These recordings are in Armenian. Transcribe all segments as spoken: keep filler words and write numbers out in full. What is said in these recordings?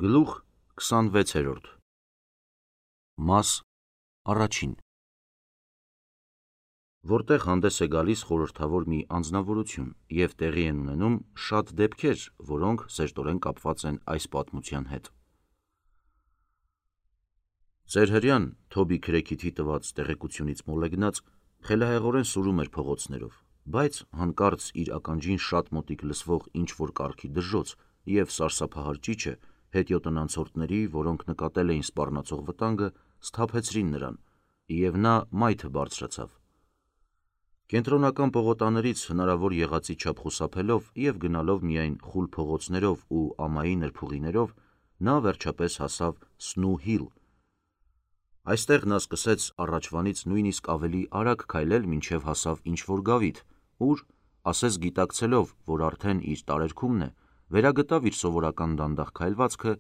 Գլուխ քսանվեցերորդ Մաս առաջին Որտեղ հանդես է գալիս խորհրդավոր մի անձնավորություն և տեղի են ունենում շատ դեպքեր, որոնք սերտորեն կապված են այս պատմության հետ։ Ձեր հրեան Թոբի Քրեքիթի տված տեղեկությունից մոլեգնած խելահեղորեն սուրում էր փողոցներով, բայց հանկարծ իր ականջին շատ մոտիկ լսվող ինչ-որ կառքի դժոխք և սարսափահար ճիչը հետիոտնանցորդների, որոնք նկատել էին սպառնացող վտանգը, սթափեցրին նրան, և նա մայթը բարձրացավ։ Կենտրոնական պողոտաներից հնարավոր եղածի չափ խուսափելով և գնալով միայն խուլ փողոցներով ու ամայի նրբուղիներով, նա վերջապես հասավ Սնու Հիլ։ Այստեղ նա սկսեց առաջվանից նույնիսկ ավելի արագ քայլել, մինչև հասավ ինչ-որ գավիթ, ուր, ասես գիտակցելով, որ արդեն իր տարերքումն է, վերագտավ իր սովորական դանդաղ քայլվածքը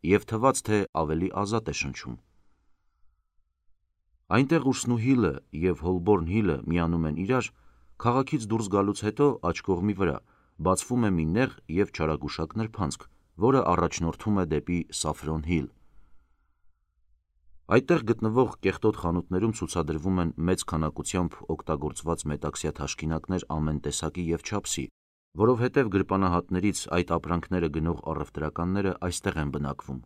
և թվաց, թե ավելի ազատ է շնչում։ Այնտեղ, ուր Սնու Հիլը և Հոլբորն Հիլը միանում են իրար, քաղաքից դուրս գալուց հետո աջ կողմի վրա բացվում է մի նեղ և չարագուշակ նրբանցք, որը առաջնորդում է դեպի Սաֆրոն Հիլ։ Այդտեղ գտնվող կեղտոտ խանութներում ցուցադրվում են մեծ քանակությամբ օգտագործված մետաքսյա թաշկինակներ ամեն տեսակի և չափսի, որովհետև գրպանահատներից այդ ապրանքները գնող առևտրականները այստեղ են բնակվում։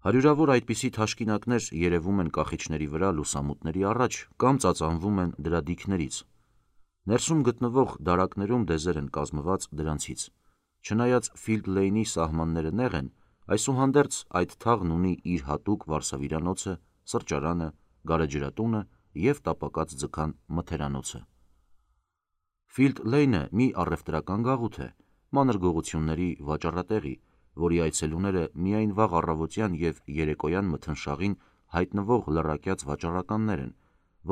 Հարյուրավոր այդպիսի թաշկինակներ երևում են կախիչների վրա լուսամուտների առաջ կամ ծածանվում են դրա դիքներից։ Ներսում գտնվող դարակներում դեզեր են կազմված դրանցից։ Չնայած Ֆիլդ Լեյնի սահմանները նեղ են, այսուհանդերձ այդ թաղն ունի իր հատուկ վարսավիրանոցը, սրճարանը, գարեջրատունը և տապակած ձգան մթերանոցը։ Ֆիլդ Լեյնը մի առևտրական գաղութ է, մանր գողությունների վաճառատեղի, որի այցելուները միայն վաղ առավոտյան և երեկոյան մթնշաղին հայտնվող լռակյաց վաճառականներ են,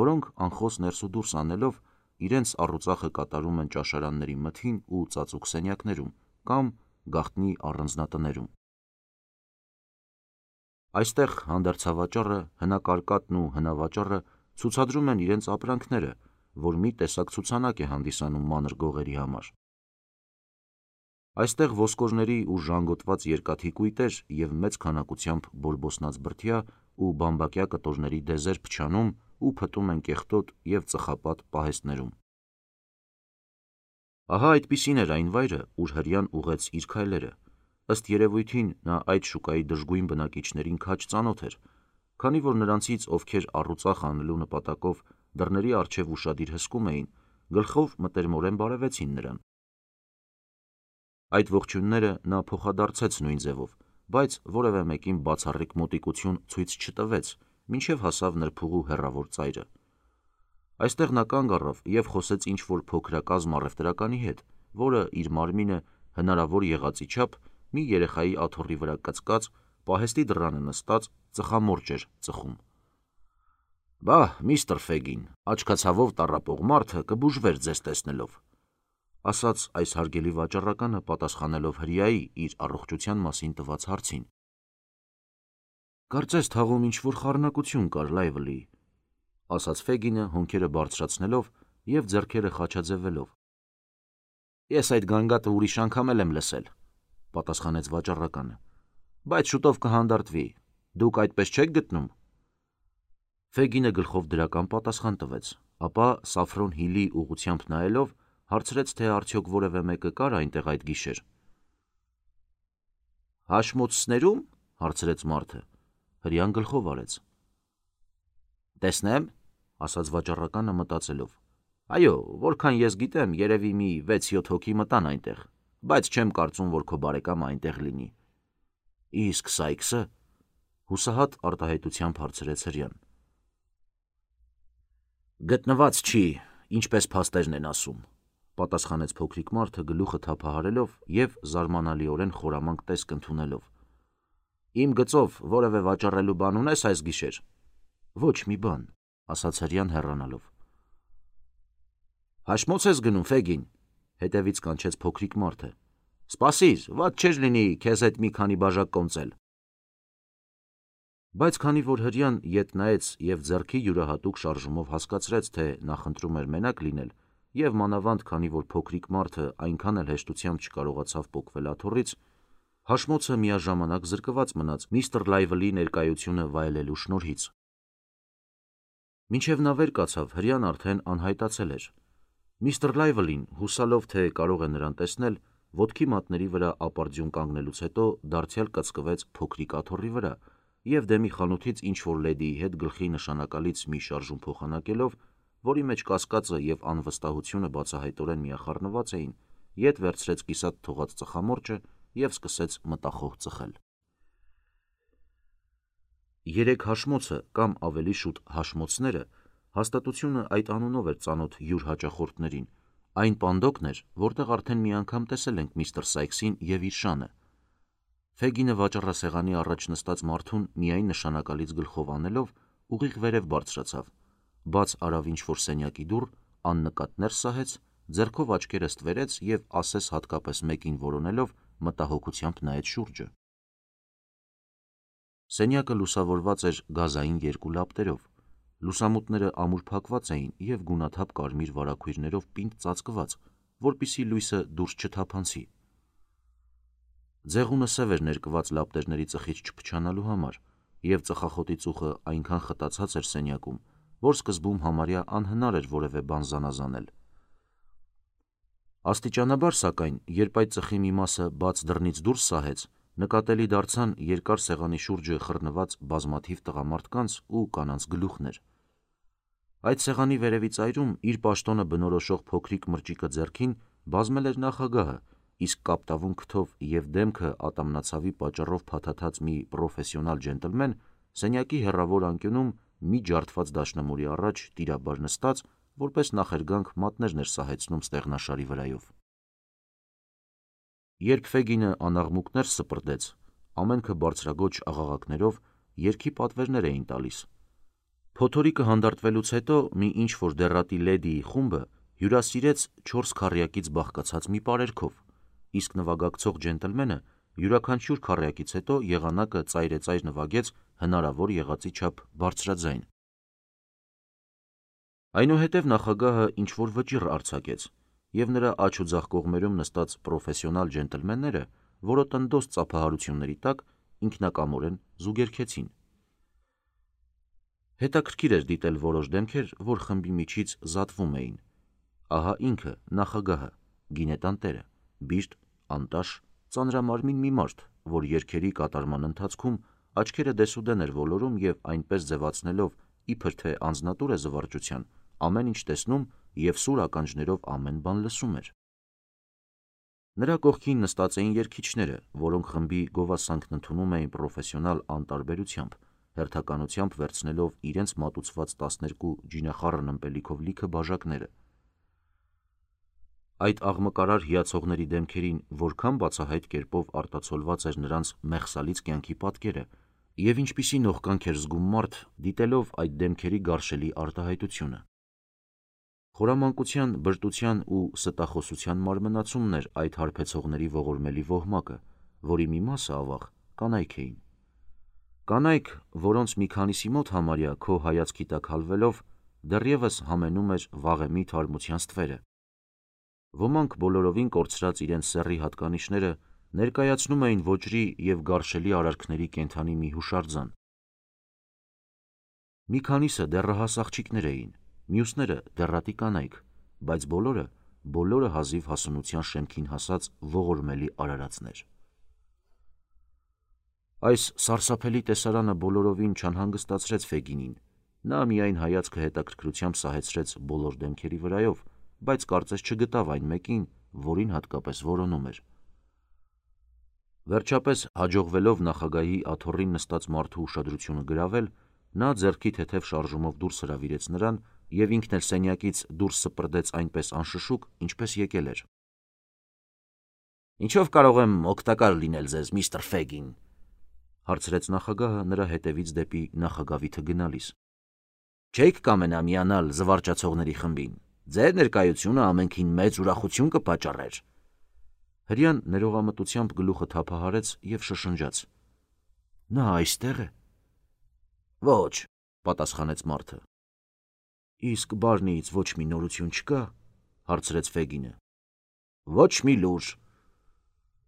որոնք անխոս ներս ու դուրս անելով իրենց առուծախը կատարում են ճաշարանների մթին ու ծածուկ սենյակներում կամ գաղտնի առանձնատներում։ Այստեղ հանդերձավաճառը, հնակարկատն ու հնավաճառը ցուցադրում են իրենց ապրանքները, որ մի տեսակ ցուցանակ է հանդիսանում մանր գողերի համար։ Այստեղ ոսկորների ու ժանգոտված երկաթի կույտեր և մեծ քանակությամբ բորբոսնած բրդյա ու բամբակյա կտորների դեզեր փչանում ու փտում են կեղտոտ և ծխապատ պահեստներում։ Ահա այդպիսին էր այն վայրը, ուր հրեան ուղղեց իր քայլերը։ Ըստ երևույթին նա այդ շուկայի դժգույն բնակիչներին քաջ ծանոթ էր, քանի որ նրանցից, ովքեր առուծախ անելու նպատակով դռների առջև ուշադիր հսկում էին, գլխով մտերմորեն բարևեցին նրան։ Այդ ողջույնները նա փոխադարձեց նույն ձևով, բայց որևէ մեկին բացառիկ մոտիկություն ցույց չտվեց, մինչև հասավ նրբուղու հեռավոր ծայրը։ Այստեղ նա կանգ առավ և խոսեց ինչ-որ փոքրակազմ առևտրականի հետ, որը իր մարմինը հնարավոր եղածի չափ մի երեխայի աթոռի վրա կծկած, պահեստի դռանը նստած ծխամորճ էր ծխում։ «Բա՛, միստր Ֆեգին, աչքացավով տառապող մարդը կբուժվեր ձեզ տեսնելով», ասաց այս հարգելի վաճառականը, պատասխանելով հրեայի իր առողջության մասին տված հարցին։ «Կարծես թաղում ինչ-որ խառնակություն կար, Լայվլի», ասաց Ֆեգինը հոնքերը բարձրացնելով և ձեռքերը խաչաձևելով։ «Ես այդ գանգատը ուրիշ անգամ էլ եմ լսել», պատասխանեց վաճառականը, «բայց շուտով կհանդարտվի, դուք այդպես չե՞ք գտնում»։ Ֆեգինը գլխով դրական պատասխան տվեց, ապա Սաֆրոն Հիլի ուղղությամբ նայելով հարցրեց, թե արդյոք որևէ մեկը կար այնտեղ այդ գիշեր։ «Հաշմոցցներո՞ւմ», հարցրեց մարդը։ Հրեան գլխով արեց։ «Տեսնեմ», ասաց վաճառականը մտածելով, «այո, որքան ես գիտեմ, երևի մի վեց-յոթ հոգի մտան այնտեղ, բայց չեմ կարծում, որ քո բարեկամը այնտեղ լինի»։ «Իսկ Սայքսը», հուսահատ արտահայտությամբ հարցրեց հրեան։ «Գտնված չի, ինչպես փաստերն են ասում», պատասխանեց փոքրիկ մարդը գլուխը թափահարելով և զարմանալիորեն խորամանկ տեսք ընդունելով։ «Իմ գծով որևէ վաճառելու բան ունես այս գիշեր»։ «Ոչ մի բան», ասաց հրեան հեռանալով։ «Հաշմոց ես գնում, Ֆեգին», հետևից կանչեց փոքրիկ մարդը։ «Սպասիր, վատ չէր լինի քեզ հետ մի քանի բաժակ կոնծել»։ Բայց քանի որ հրեան ետ նայեց և ձեռքի յուրահատուկ շարժումով հասկացրեց, թե նախընտրում էր մենակ լինել, և մանավանդ քանի որ փոքրիկ մարդը այնքան էլ հեշտությամբ չկարողացավ պոկվել աթոռից, Հաշմոցը միաժամանակ զրկված մնաց միստր Լայվլի ներկայությունը վայելելու շնորհից։ Մինչև նա վեր կացավ, հրեան արդեն անհայտացել էր։ Միստր Լայվլին, հուսալով, թե կարող է նրան տեսնել, ոտքի մատների վրա ապարդյուն կանգնելուց հետո դարձյալ կծկվեց փոքրիկ աթոռի վրա և դեմի խանութից ինչ-որ լեդիի հետ գլխի նշանակալից մի շարժում փոխանակելով, որի մեջ կասկածը և անվստահությունը բացահայտորեն միախառնված էին, ետ վերցրեց կիսատ թողած ծխամորճը և սկսեց մտախոհ ծխել։ Երեք հաշմոցը կամ ավելի շուտ հաշմոցները հաստատությունը այդ անունով էր ծանոթ յուր հաճախորդներին, այն պանդոկն էր, որտեղ արդեն մի անգամ տեսել ենք միստր Սայքսին և իր շանը։ Ֆեգինը վաճառասեղանի առաջ նստած մարդուն միայն նշանակալից գլխով անելով ուղիղ վերև բարձրացավ, բաց արավ ինչ-որ սենյակի դուռ, աննկատ ներս սահեց, ձեռքով աչքերը ստվերեց և ասես հատկապես մեկին որոնելով մտահոգությամբ նայեց շուրջը։ Սենյակը լուսավորված էր գազային երկու լապտերով, լուսամուտները ամուր փակված էին և գունաթափ կարմիր վարագույրներով պինդ ծածկված, որպեսզի լույսը դուրս չթափանցի։ Ձեղունը սև էր ներկված լապտերների ծխից չփչանալու համար, և ծխախոտի ծուխը այնքան խտացած էր սենյակում, որ սկզբում համարյա անհնար էր որևէ բան զանազանել։ Աստիճանաբար, սակայն, երբ այդ ծխի մի մասը բաց դռնից դուրս սահեց, նկատելի դարձան երկար սեղանի շուրջը խռնված բազմաթիվ տղամարդկանց ու կանանց գլուխներ։ Այդ սեղանի վերևի ծայրում իր պաշտոնը բնորոշող փոքրիկ մրճիկը ձեռքին բազմել էր նախագահը, իսկ կապտավուն քթով և դեմքը ատամնացավի պատճառով փաթաթած մի պրոֆեսիոնալ ջենտլմեն սենյակի հեռավոր անկյունում մի ջարդված դաշնամուրի առաջ տիրաբար նստած, որպես նախերգանք մատներն էր սահեցնում ստեղնաշարի վրայով։ Երբ Ֆեգինը անաղմուկ ներս սպրդեց, ամենքը բարձրագոչ աղաղակներով երգի պատվերներ էին տալիս։ Փոթորիկը հանդարտվելուց հետո մի ինչ-որ դեռատի լեդիի խումբը հյուրասիրեց չորս քառյակից բաղկացած մի պարերգով, իսկ նվագակցող ջենտլմենը յուրաքանչյուր քառյակից հետո եղանակը ծայրեծայր նվագեց հնարավոր եղածի չափ բարձրաձայն։ Այնուհետև նախագահը ինչ-որ վճիռ արձակեց, և նրա աջ ու ձախ կողմերում նստած պրոֆեսիոնալ ջենտլմենները որոտնդոզ ծափահարությունների տակ ինքնակամորեն զուգերգեցին։ Հետաքրքիր էր դիտել որոշ դեմքեր, որ խմբի միջից զատվում էին։ Ահա ինքը, նախագահը, գինետան տերը, բիրտ, անտաշ, ծանրամարմին մի մարդ, որ երգերի կատարման ընթացքում աչքերը դեսուդեն էր ոլորում և այնպես ձևացնելով, իբր թե անձնատուր է զվարճության, ամեն ինչ տեսնում և սուր ականջներով ամեն բան լսում էր։ Նրա կողքին նստած էին երգիչները, որոնք խմբի գովասանքն ընդունում էին պրոֆեսիոնալ անտարբերությամբ, հերթականությամբ վերցնելով իրենց մատուցված տասներկու ջինախառն ըմպելիքով լիքը բաժակները։ Այդ աղմկարար հիացողների դեմքերին որքան բացահայտ կերպով արտացոլված էր նրանց մեղսալից կյանքի պատկերը, և ինչպիսի նողկանք էր զգում մարդ, դիտելով այդ դեմքերի գարշելի արտահայտությունը։ Խորամանկության, բրտության ու ստախոսության մարմնացումն էր այդ հարբեցողների ողորմելի ոհմակը, որի մի մասը, ավաղ, կանայք էին։ Կանայք, որոնց մի քանիսի մոտ համարյա քո հայացքի տակ հալվելով դեռևս համենում էր վաղեմի թարմության ստվերը։ Ոմանք բոլորովին կորցրած իրենց սեռի հատկանիշները ներկայացնում էին ոճրի և գարշելի արարքների կենդանի մի հուշարձան։ Մի քանիսը դեռահաս աղջիկներ էին, մյուսները դեռատի կանայք, բայց բոլորը, բոլորը հազիվ հասունության շեմքին հասած ողորմելի արարածներ։ Այս սարսափելի տեսարանը բոլորովին չանհանգստացրեց Ֆեգինին, նա միայն հայացքը հետաքրքրությամբ սահեցրեց բոլոր դեմքերի վրայով, բայց կարծես չգտավ այն մեկին, որին հատկապես որոնում էր։ Վերջապես, հաջողվելով նախագահի աթոռին նստած մարդու ուշադրությունը գրավել, նա ձեռքի թեթև շարժումով դուրս հրավիրեց նրան և ինքն էլ սենյակից դուրս սպրդեց այնպես անշշուկ, ինչպես եկել էր։ «Ինչով կարող եմ օգտակար լինել ձեզ, միստր Ֆեգին», հարցրեց նախագահը նրա հետևից դեպի նախագավիթը գնալիս։ «Չէի՞ք կամենա միանալ զվարճացողների խմբին, ձեր ներկայությունը ամենքին մեծ ուրախություն կպատճառեր»։ Հրեան ներողամտությամբ գլուխը թափահարեց և շշնջաց. «Նա այստե՞ղ է»։ «Ոչ», պատասխանեց մարդը։ «Իսկ բարնիից ոչ մի նորություն չկա»։ հարցրեց Ֆեգինը։ «Ոչ մի լուր»։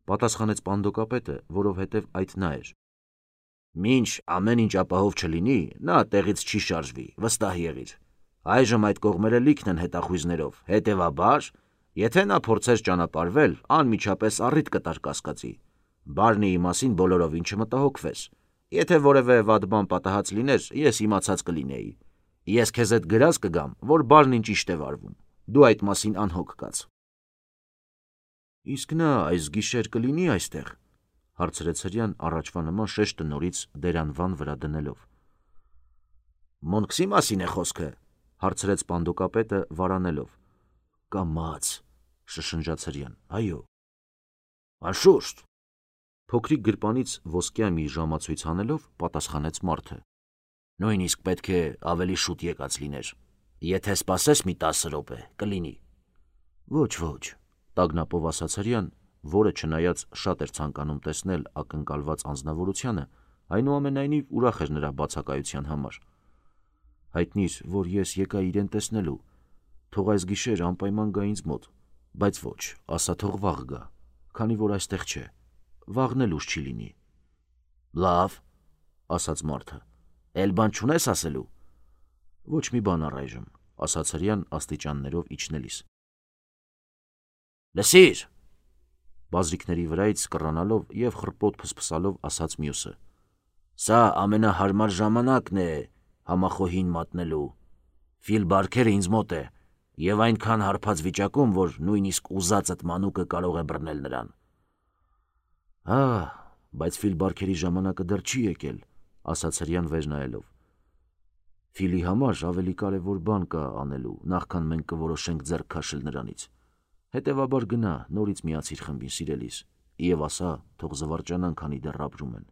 Պատասխանեց պանդոկապետը, որովհետև այդ նա էր։ Մինչ ամեն ինչ ապահով չլինի, նա տեղից չի շարժվի, վստահ եղիր։ Այժմ այդ կողմերը լիքն են հետախույզներով, հետևաբար, եթե նա փորձեր ճանապարհվել, անմիջապես առիթ կտար կասկածի։ Բարնիի մասին բոլորովին չմտահոգվես։ Եթե որևէ վատ բան պատահած լիներ, ես իմացած կլինեի։ Ես քեզ հետ գրած կգամ, որ Բարնին ճիշտ է վարվում։ Դու այդ մասին անհոգ կաց։ Իսկ նա այս գիշեր կլինի այստեղ, հարցրեց հրեան առաջվա նման շեշտը նորից դերանվան վրա դնելով։ Մոնքսի մասին է խոսքը, հարցրեց պանդոկապետը վարանելով։ Կամաց, շշնջաց հրեան, այո։ Անշուշտ։ Փոքրիկ գրպանից ոսկյա մի ժամացույց հանելով պատասխանեց մարդը։ Նույնիսկ պետք է ավելի շուտ եկած լիներ։ Եթե սպասես մի տասը րոպե, կլինի։ Ոչ, ոչ, տագնապով ասաց հրեան, որը չնայած շատ էր ցանկանում տեսնել ակնկալված անձնավորությանը, այնուամենայնիվ ուրախ էր նրա բացակայության համար։ Հայտնիր, որ ես եկա իրեն տեսնելու, թող այս գիշեր անպայման գա ինձ մոտ, բայց ոչ, ասա թող վաղ գա, քանի որ այստեղ չէ, վաղն էլ ուշ չի լինի։ Լավ, ասաց մարդը, էլ բան չունես ասելու։ Ոչ մի բան առայժմ, ասաց հրեան աստիճաններով իջնելիս։ Լսիր, բազրիկների վրայից կռանալով և խռպոտ փսփսալով ասաց մյուսը։ Սա ամենահարմար ժամանակն է համախոհին մատնելու։ Ֆիլ Բարքերը ինձ մոտ է, և այնքան հարբած վիճակում, որ նույնիսկ ուզածդ մանուկը կարող է բռնել նրան։ Ահ, բայց Ֆիլ Բարքերի ժամանակը դեռ չի եկել, ասաց հրեան վեր նայելով։ Ֆիլի համար ավելի կարևոր բան կա անելու, նախքան մենք կորոշենք ձեռք քաշել նրանից։ Հետևաբար գնա, նորից միացիր խմբին, սիրելիս, և ասա, թող զվարճանան, քանի դեռ ապրում են։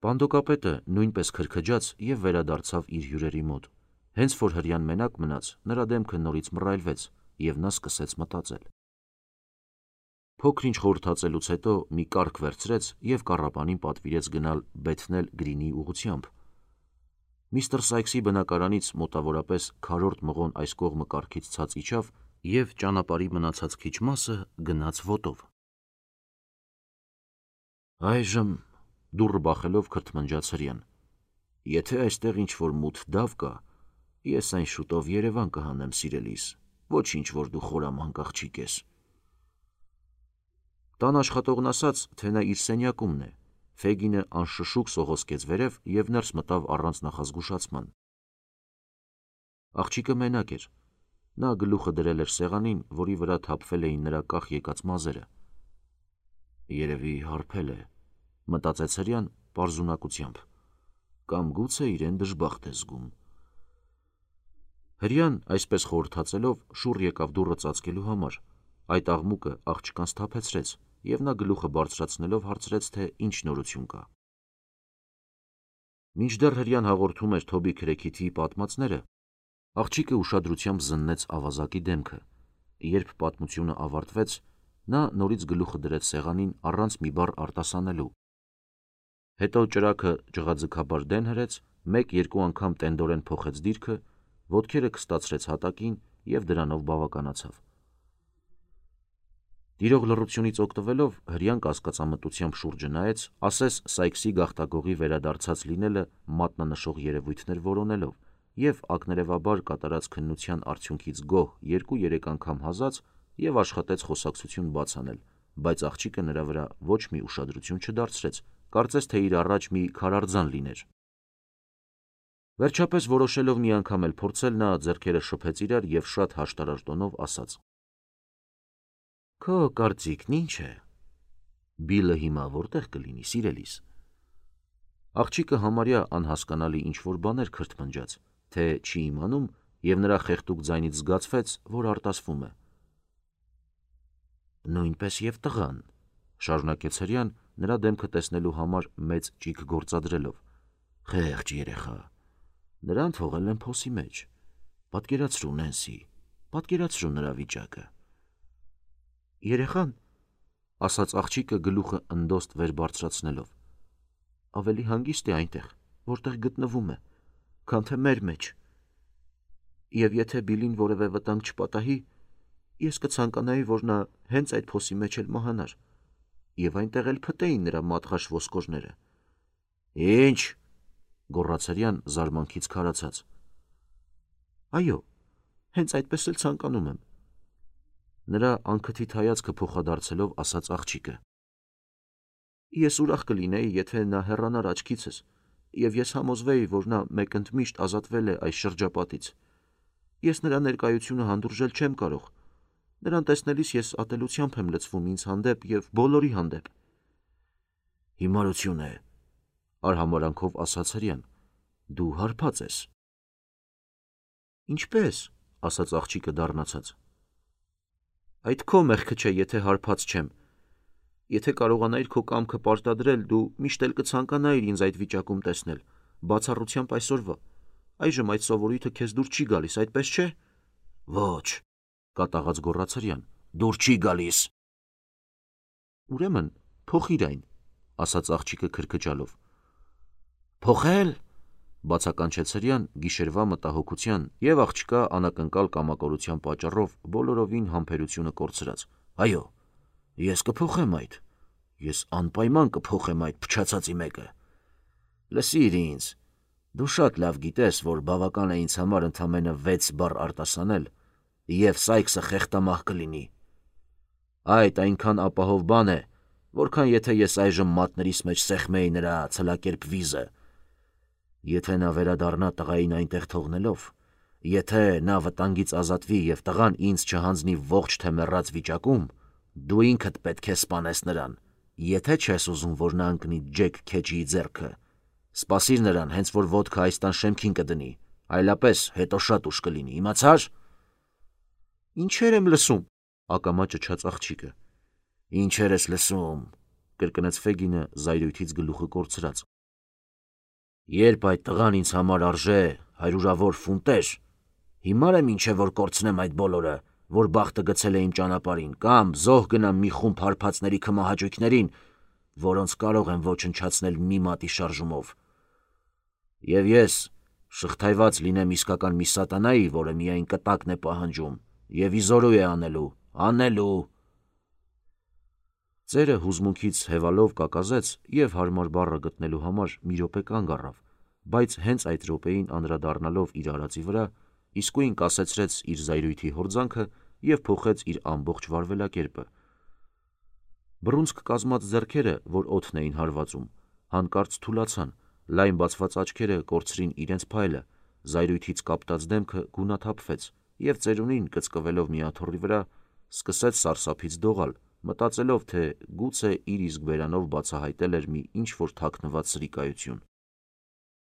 Պանդոկապետը նույնպես քրքջաց և վերադարձավ իր հյուրերի մոտ։ Հենց որ հրեան մենակ մնաց, նրա դեմքը նորից մռայլվեց, և նա սկսեց մտածել։ Փոքր-ինչ խորհրդածելուց հետո մի կառք վերցրեց և կառապանին պատվիրեց գնալ Բեթնել Գրինի ուղղությամբ։ Միստր Սայքսի բնակարանից մոտավորապես քառորդ մղոն այս կողմը կառքից ցած իջավ և ճանապարհի մնացած քիչ մասը գնաց ոտով։ Այժմ, դուռը բախելով քրթմնջաց հրեան, եթե այստեղ ինչ-որ մութ դավ կա, ես այն շուտով Երևան կհանեմ, սիրելիս, ոչինչ, որ դու խորամանկ աղջիկ ես։ Տան աշխատողն ասաց, թե նա իր սենյակումն է։ Ֆեգինը անշշուկ սողոսկեց վերև և ներս մտավ առանց նախազգուշացման։ Աղջիկը մենակ էր։ Նա գլուխը դրել էր սեղանին, որի վրա թափվել էին նրա կախ եկած մազերը։ Երևի հարբել է, մտածեց հրեան պարզունակությամբ, կամ գուցե իրեն դժբախտ է զգում։ Հրեան, այսպես խորհրդածելով, շուռ եկավ դուռը ծածկելու համար։ Այդ աղմուկը աղջկան սթափեցրեց, և նա գլուխը բարձրացնելով հարցրեց, թե ինչ նորություն կա։ Մինչդեռ հրեան հաղորդում էր Թոբի Քրեքիթի պատմածները, աղջիկը ուշադրությամբ զննեց ավազակի դեմքը։ Երբ պատմությունը ավարտվեց, նա նորից գլուխը դրեց սեղանին առանց մի բառ արտասանելու։ Հետո ճրագը ջղաձգաբար դեն հրեց, մեկ-երկու անգամ տենդորեն փոխեց դիրքը, ոտքերը քստացրեց հատակին և դրանով բավականացավ։ Տիրող լռությունից օգտվելով, հրեան կասկածամտությամբ շուրջը նայեց, ասես Սայքսի գաղտագողի վերադարձած լինելը մատնանշող երևույթներ որոնելով, և ակներևաբար կատարած քննության արդյունքից գոհ երկու-երեք անգամ հազաց և աշխատեց խոսակցություն բաց անել, բայց աղջիկը նրա վրա ոչ մի ուշադրություն չդարձրեց, կարծես թե իր առաջ մի քարարձան լիներ։ Վերջապես որոշելով մի անգամ էլ փորձել, նա ձեռքերը շփեց իրար և շատ հաշտարար տոնով ասաց. Քո կարծիքն ի՞նչ է։ Բիլը հիմա որտե՞ղ կլինի, սիրելիս։ Աղջիկը համարյա անհասկանալի ինչ-որ բաներ քրթմնջաց, թե չի իմանում, և նրա խեղդուկ ձայնից զգացվեց, որ արտասվում է։ Նույնպես և տղան, շարունակեց հրեան, նրա դեմքը տեսնելու համար մեծ ճիգ գործադրելով։ Խեղճ երեխա։ Նրան թողել են փոսի մեջ։ Պատկերացրու, Նենսի, պատկերացրու նրա վիճակը։ Երեխան, ասաց աղջիկը գլուխը ընդոստ վեր բարձրացնելով, ավելի հանգիստ է այնտեղ, որտեղ գտնվում է, քան թե մեր մեջ։ Եվ եթե Բիլին որևէ վտանգ չպատահի, Ես կցանկանայի, որ նա հենց այդ փոսի մեջ էլ մահանար, եւ այնտեղ էլ փտեին նրա մատղաշ ոսկորները։ Ինչ, գոռաց Հրեան զարմանքից քարացած։ Այո, հենց այդպես էլ ցանկանում եմ, նրա անքթիթ հայացքը փոխադարձելով ասաց աղջիկը։ Ես ուրախ կլինեի, եթե նա հեռանար աչքիցս, եւ ես համոզվեի, որ նա մեկընդմիշտ ազատվել է այս շրջապատից։ Ես նրա ներկայությունը հանդուրժել չեմ կարող։ Նրան տեսնելիս ես ատելությամբ եմ լցվում ինձ հանդեպ եւ բոլորի հանդեպ։ Հիմարություն է, արհամարանքով ասաց Հրեան։ Դու հարբած ես։ Ինչպես, ասաց աղջիկը դառնացած։ Այդ քո մեղքը չէ, եթե հարբած չեմ։ Եթե կարողանայիր քո կամքը պարտադրել, դու միշտ էլ կցանկանայիր ինձ այդ վիճակում տեսնել, բացառությամբ այսօրվա։ Այժմ այդ սովորույթը քեզ դուր չի գալիս, այդպես չէ։ Ոչ, կատաղած գոռաց Հրեան, դուր չի գալիս։ Ուրեմն, փոխիր այն, ասաց աղջիկը քրքջալով։ Փոխել, բացականչեց Հրեան գիշերվա մտահոգության եւ աղջկա անակնկալ կամակորության պատճառով բոլորովին համբերությունը կորցրած։ Այո, ես կփոխեմ այդ։ Ես անպայման կփոխեմ այդ փչացածի մեկը։ Լսիր ինձ, դու շատ լավ գիտես, որ բավական է ինձ համար ընդամենը վեց բառ արտասանել, եւ Սայքսը խեղտամահ կլինի։ Այդ այնքան ապահով բան է, որքան եթե ես այժմ մատներիս մեջ սեղմեի նրա ցլակերպ վիզը։ Եթե նա վերադառնա տղային այնտեղ թողնելով, եթե նա վտանգից ազատվի եւ տղան ինձ չհանձնի ողջ թե մեռած վիճակում, դու ինքդ պետք է սպանես նրան, եթե չես ուզում, որ նա ընկնի Ջեք Քեջիի ձեռքը։ Սպասիր նրան, հենց որ ոտքը այս տան շեմքին կդնի, այլապես հետո շատ ուշ կլինի, իմացա՞ր։ Ինչեր եմ լսում, ակամա ճչաց աղջիկը։ Ինչեր ես լսում, կրկնեց Ֆեգինը զայրույթից գլուխը կորցրած։ Երբ այդ տղան ինձ համար արժե հարյուրավոր ֆունտեր, հիմար եմ ինչ է որ կորցնեմ այդ բոլորը, որ բախտը գցել է իմ ճանապարհին, կամ զոհ գնամ մի խումբ հարբածների քմահաճույքներին, որոնց կարող եմ ոչնչացնել մի մատի շարժումով։ Եվ ես շղթայված լինեմ իսկական մի սատանայի, որը միայն կտակն է պահանջում, եւ իզորու է անելու, անելու։ Ծերը հուզմունքից հևալով կակազեց եւ հարմար բառը գտնելու համար մի րոպե կանգ առավ, բայց հենց այդ րոպեին անդրադառնալով իր արածի վրա, իսկույն կասեցրեց իր զայրույթի հորձանքը եւ փոխեց իր ամբողջ վարվելակերպը։ Բռունցք կազմած ձեռքերը, որ օդն էին հարվածում, հանկարծ թուլացան, լայն բացված աչքերը կորցրին իրենց փայլը, զայրույթից կապտած դեմքը գունաթափվեց եւ ծերունին կծկվելով մի աթոռի վրա սկսեց սարսափից դողալ, մտածելով, թե գուցե իր իսկ բերանով բացահայտել էր մի ինչ-որ թաքնված սրիկայություն։